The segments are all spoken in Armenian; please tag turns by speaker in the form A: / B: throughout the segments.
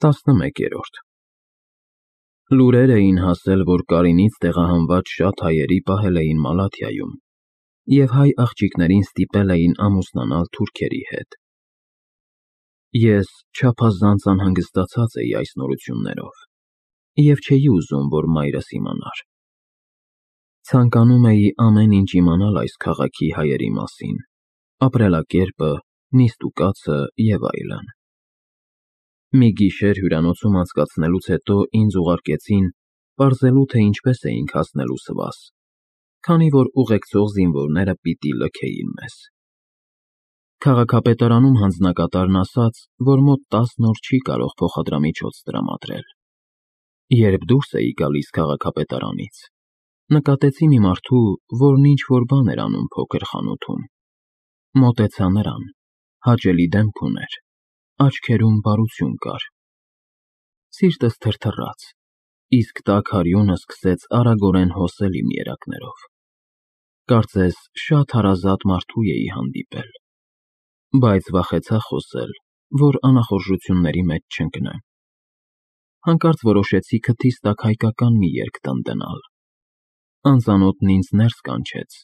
A: 11-րդ Լուրեր էին հասել, որ Կարինից տեղահանված շատ հայերի պահել էին Մալաթիայում և հայ աղջիկներին ստիպել էին ամուսնանալ թուրքերի հետ։ Ես չափազանց անհանգստացած էի այս նորություններով և չէի ուզում, որ մայրս իմանար։ Ցանկանում էի ամեն ինչ իմանալ այս քաղաքի հայերի մասին, ապրելակերպը, նիստուկացը և այլն։ Մի գիշեր հյուրանոցում անցկացնելուց հետո ինձ ուղարկեցին պարզելու, թե ինչպես էինք հասնելու Սվաս, քանի որ ուղեկցող զինվորները պիտի լքեին մեզ։ Քաղաքապետարանում հանձնակատարն ասաց, որ մոտ 10 օր չի կարող փոխադրամիջոց տրամադրել։ Երբ դուրս էի գալիս քաղաքապետարանից, նկատեցի մի մարդու, որն ինչ-որ բան էր անում փոքր խանութում։ Մոտեցա նրան, հաճելի դեմք ուներ, աչքերում բարություն կար։ Սիրտս թրթռաց, իսկ տաք արյունը սկսեց արագորեն հոսել իմ երակներով։ Կարծես շատ հարազատ մարդու էի հանդիպել, բայց վախեցա խոսել, որ անախորժությունների մեջ չընկնեմ։ Հանկարծ որոշեցի քթիս տակ հայկական մի երգ տնտենալ։ Անծանոթն ինձ ներս կանչեց,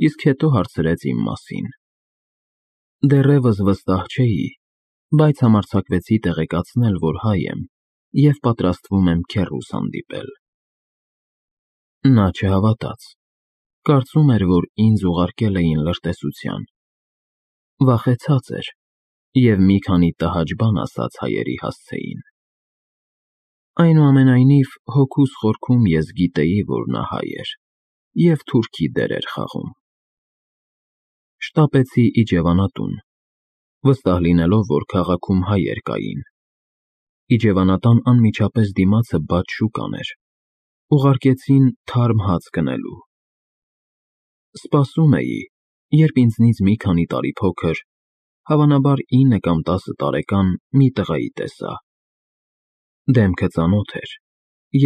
A: իսկ հետո հարցրեց իմ մասին։ Դեռևս վստահ չէի, բայց համարձակվեցի տեղեկացնել, որ հայ եմ և պատրաստվում եմ քեռուս հանդիպել։ Նա չհավատաց, կարծում էր, որ ինձ ուղարկել էին լրտեսության։ Վախեցած էր և մի քանի տհաճ բան ասաց հայերի հասցեին։ Այնուամենայնիվ, հոգուս խորքում ես գիտեի, որ նա հայ էր և թուրքի դեր էր խաղում։ Շտապեցի իջևանատուն, վստահ լինելով, որ քաղաքում հայեր կային։ Իջևանատան անմիջապես դիմացը բաց շուկան էր։ Ուղարկեցին թարմ հաց գնելու։ Սպասում էի, երբ ինձնից մի քանի տարի փոքր, հավանաբար 9 կամ 10 տարեկան մի տղայի տեսա։ Դեմքը ծանոթ էր,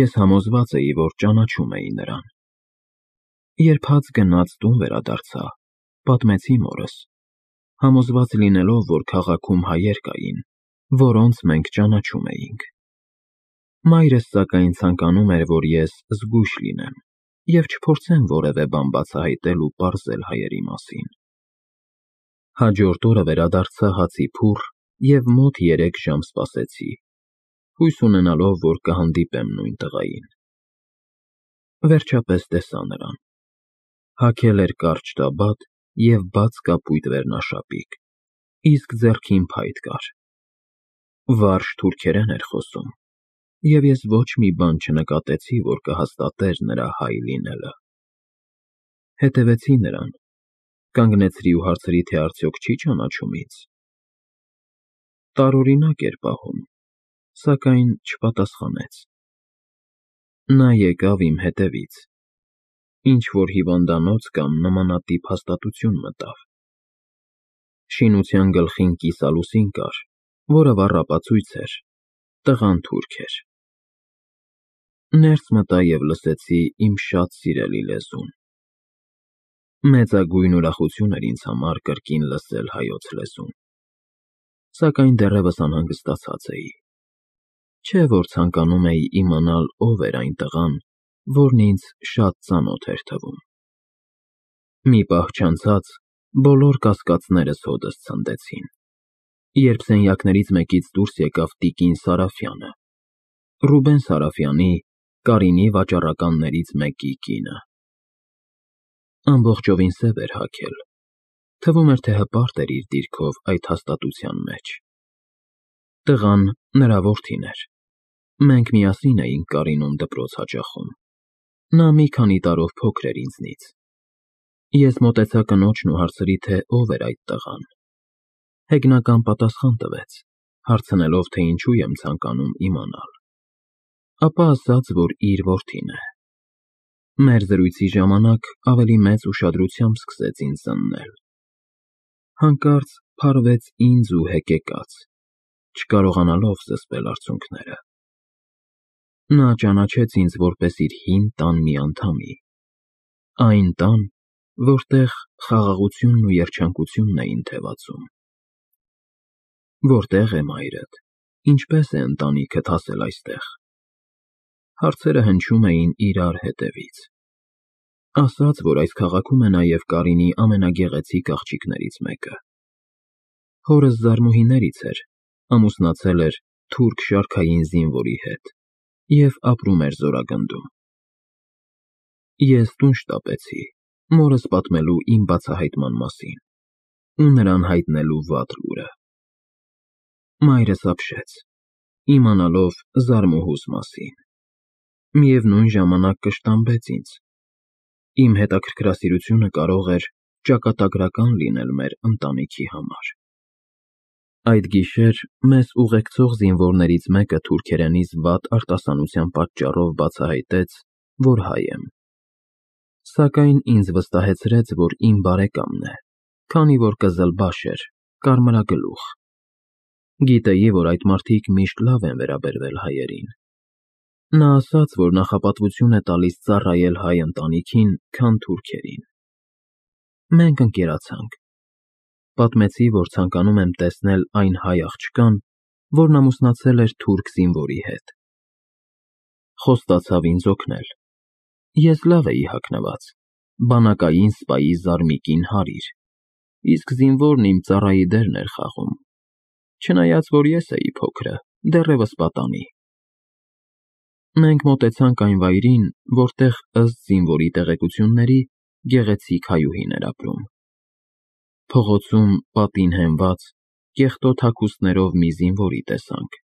A: ես համոզված էի, որ ճանաչում էի նրան։ Երբ հաց գնած տուն վերադարձա, պատմեցի մորս, համոզված լինելով, որ քաղաքում հայեր կային, որոնց մենք ճանաչում էինք։ Մայրս սակայն ցանկանում էր, որ ես զգույշ լինեմ և չփորձեմ որևէ բան բացահայտել ու պարզել հայերի մասին։ Հաջորդ օրը վերադարձա հացի փուռ և մոտ 3 ժամ սպասեցի, հույս ունենալով, որ կհանդիպեմ նույն տղային։ Վերջապես տեսա նրան։ Հագել էր կարճ տաբատ և բաց կապույտ վերնաշապիկ, իսկ ձեռքին փայտ կար։ Վարժ թուրքերեն էր խոսում, և ես ոչ մի բան չնկատեցի, որ կհաստատեր նրա հայ լինելը։ Հետևեցի նրան, կանգնեցրի ու հարցրի, թե արդյոք չի ճանաչում ինձ։ Տարօրինակ էր պահում, սակայն չպատասխանեց։ Նա եկավ իմ հետևից, ինչ-որ հիվանդանոց կամ նմանատիպ հաստատություն մտավ։ Շինության գլխին կիսալուսին կար, որը վառ ապացույց էր, տղան թուրք էր։ Ներս մտա և լսեցի իմ շատ սիրելի լեզուն։ Մեծագույն ուրախություն էր ինձ համար կրկին լսել հայոց լեզուն, սակայն դեռևս անհանգստացած էի։ Չէ՞ որ ցանկանում էի իմանալ ով էր այն տղան, որն ինձ շատ ծանոթ էր թվում։ Մի պահ չանցած բոլոր կասկածներս հօդս ցնդեցին, երբ սենյակներից մեկից դուրս եկավ տիկին Սարաֆյանը, Ռուբեն Սարաֆյանի, Կարինի վաճառականներից մեկի կինը։ Ամբողջովին սև էր հագել, թվում էր, թե հպարտ էր իր դիրքով այդ հաստատության մեջ։ Տղան նրա որդին էր։ Մենք միասին էինք Կարինում դպրոց հաճախում։ Նա մի քանի տարով փոքր էր ինձնից։ Ես մոտեցա կնոջն ու հարցրի, թե ով էր այդ տղան։ Հեգնական պատասխան տվեց, հարցնելով, թե ինչու եմ ցանկանում իմանալ։ Ապա ասաց, որ իր որդին է։ Մեր զրույցի ժամանակ ավելի մեծ ուշադրությամբ սկսեց ինձ զննել։ Հանկարծ փարվեց ինձ ու հեկեկաց, չկարողանալով զսպել արցունքները։ Նա ճանաչեց ինձ որպես իր հին տան մի անդամի, այն տան, որտեղ խաղաղությունն ու երջանկությունն էին թևածում։ Որտե՞ղ է մայրդ, Ինչպես է ընտանիքդ հասել այստեղ։ Հարցերը հնչում էին իրար հետևից։ Ասաց, որ այս քաղաքում է նաև Կարինի ամենագեղեցիկ աղջիկներից մեկը։ Հորս զարմուհիներից էր, ամուսնացել էր թուրք շարքային զինվորի հետ և ապրում էր Զորագնդում։ Ես տուն շտապեցի, մորս պատմելու իմ բացահայտման մասին ու նրան հայտնելու վատ լուրը։ Մայրս ապշեց, իմանալով զարմուհուս մասին։ Միևնույն ժամանակ կշտամբեց ինձ։ Իմ հետաքրքրասիրությունը կարող էր ճակատագրական լինել մեր ընտանիքի համար։ Այդ գիշեր մեզ ուղեկցող զինվորներից մեկը թուրքերենից վատ արտասանության պատճառով բացահայտեց, որ հայ եմ։ Սակայն ինձ վստահեցրեց, որ իմ բարեկամն է, քանի որ կզլբաշ էր, կարմրագլուխ։ Գիտեի, որ այդ մարդիկ միշտ լավ են վերաբերվել հայերին։ Նա ասաց, որ նախապատվություն է տալիս ծառայել հայ ընտանիքին, քան թուրքերին։ Մենք ընկերացանք։ Պատմեցի, որ ցանկանում եմ տեսնել այն հայ աղջկան, որն ամուսնացել էր թուրք զինվորի հետ։ Խոստացավ ինձ օգնել։ Ես լավ էի հագնված, բանակային սպայի զարմիկին հարիր, իսկ զինվորն իմ ծառայի դերն էր խաղում, չնայած որ ես էի փոքրը, դեռևս պատանի։ Մենք մոտեցանք այն վայրին, որտեղ ըստ զինվորի տեղեկությունների գեղեցիկ հայուհին էր ապրում։ Փողոցում պատին հենված, կեղտոտ հագուստներով մի զինվորի տեսանք։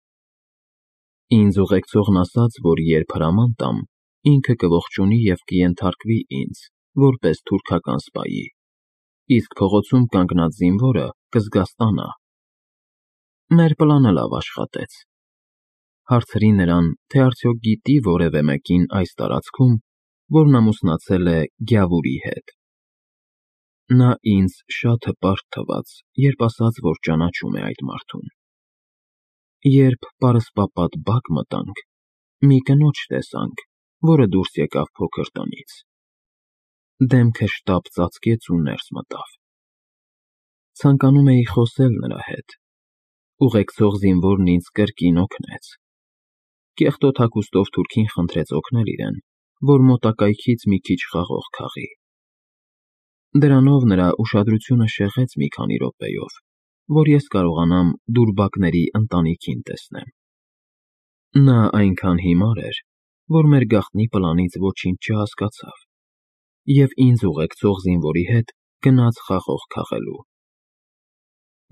A: Ինձ ուղեկցողն ասաց, որ երբ հրաման տամ, ինքը կողջունի և կենթարկվի ինձ, որպես թուրքական սպայի, իսկ փողոցում կանգնած զինվորը կզգաստանա։ Մեր պլանը լավ աշխատեց։ Հարցրի նրան, թե արդյոք գիտի որևէ մեկին այս տարածքում, որն ամուսնացել է Գյավուրի հետ։ Նա ինձ շատ հպարտ թվաց, երբ ասաց, որ ճանաչում է այդ մարդուն։ Երբ պարսպապատ բակ մտանք, մի կնոջ տեսանք, որը դուրս եկավ փոքր տնից։ Դեմքը շտապ ծածկեց ու ներս մտավ։ Ցանկանում էի խոսել նրա հետ։ Ուղեկցող զինվորն ինձ կրկին օգնեց։ Կեղտոտ հագուստով թուրքին խնդրեց օգնել իրեն, որ մոտակայքից մի քիչ խաղող քաղի։ Դրանով նրա ուշադրությունը շեղեց մի քանի րոպեով, որ ես կարողանամ դուրբակների ընտանիքին տեսնեմ։ Նա այնքան հիմար էր, որ մեր գաղտնի պլանից ոչինչ չհասկացավ և ինձ ուղեկցող զինվորի հետ գնաց խաղող քաղելու։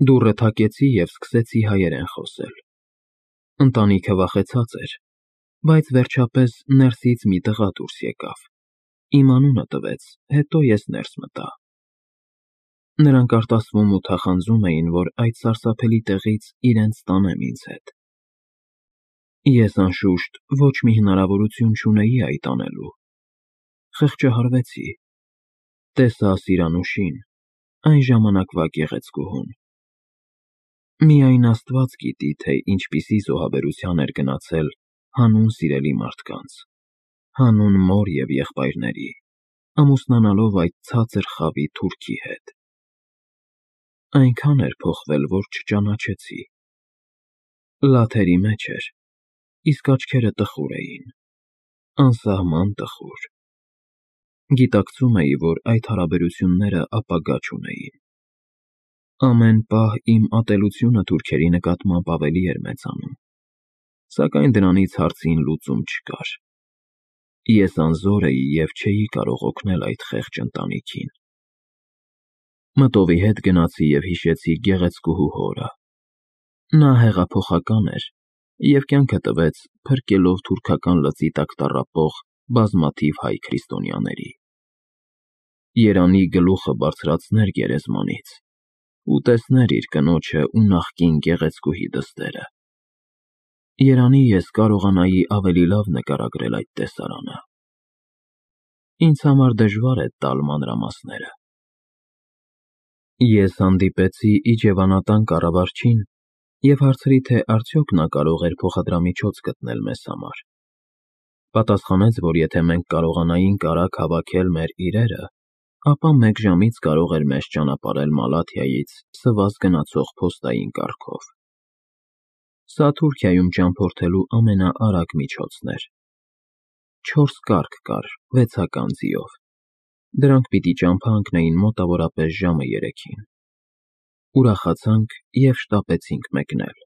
A: Դուռը թակեցի և սկսեցի հայերեն խոսել։ Ընտանիքը վախեցած էր, բայց վերջապես ներսից մի տղա դուրս եկավ, իմ անունը տվեց, հետո ես ներս մտա։ Նրանք արտասվում ու թախանձում էին, որ այդ սարսափելի տեղից իրենց տանեմ ինձ հետ։ Ես անշուշտ ոչ մի հնարավորություն չունեի այդ անելու։ Խղճահարվեցի։ Տեսա Սիրանուշին, այն ժամանակվա գեղեցկուհուն։ Միայն Աստված գիտի, թե ինչպիսի զոհաբերության էր գնացել հանուն սիրելի մարդկանց, հանուն մոր և եղբայրների, ամուսնանալով այդ ցածր խավի թուրքի հետ։ Այնքան էր փոխվել, որ չճանաչեցի։ Լաթերի մեջ էր, իսկ աչքերը տխուր էին, անսահման տխուր։ Գիտակցում էի, որ այդ հարաբերությունները ապագա չունեին։ Ամեն պահ իմ ատելությունը թուրքերի նկատմամբ ավելի էր մեծանում, սակայն դրանից հարցին լուծում չկար։ Ես անզոր էի և չէի կարող օգնել այդ խեղճ ընտանիքին։ Մտովի հետ գնացի և հիշեցի գեղեցկուհու հորը։ Նա հեղափոխական էր և կյանքը տվեց փրկելով թուրքական լծի տակ տառապող բազմաթիվ հայ քրիստոնյաների։ Երանի գլուխը բարձրացներ գերեզմանից ու տեսներ իր կնոջը ու նախկին գեղեցկուհի դստերը։ Երանի ես կարողանայի ավելի լավ նկարագրել այդ տեսարանը։ Ինձ համար դժվար է տալ մանրամասները։ Ես հանդիպեցի իջևանատան կառավարչին և հարցրի, թե արդյոք նա կարող էր փոխադրամիջոց գտնել մեզ համար։ Պատասխանեց, որ եթե մենք կարողանայինք արագ հավաքել մեր իրերը, ապա մեկ ժամից կարող էր մեզ ճանապարհել Մալաթիայից սվազ գնացող փոստային կառքով։ Սա Թուրքիայում ճամփորդելու ամենաարագ միջոցն էր։ 4 կառք կար 6-ական ձիով։ Դրանք պիտի ճամփա ընկնեին մոտավորապես ժամը 3-ին։ Ուրախացանք և շտապեցինք մեկնել։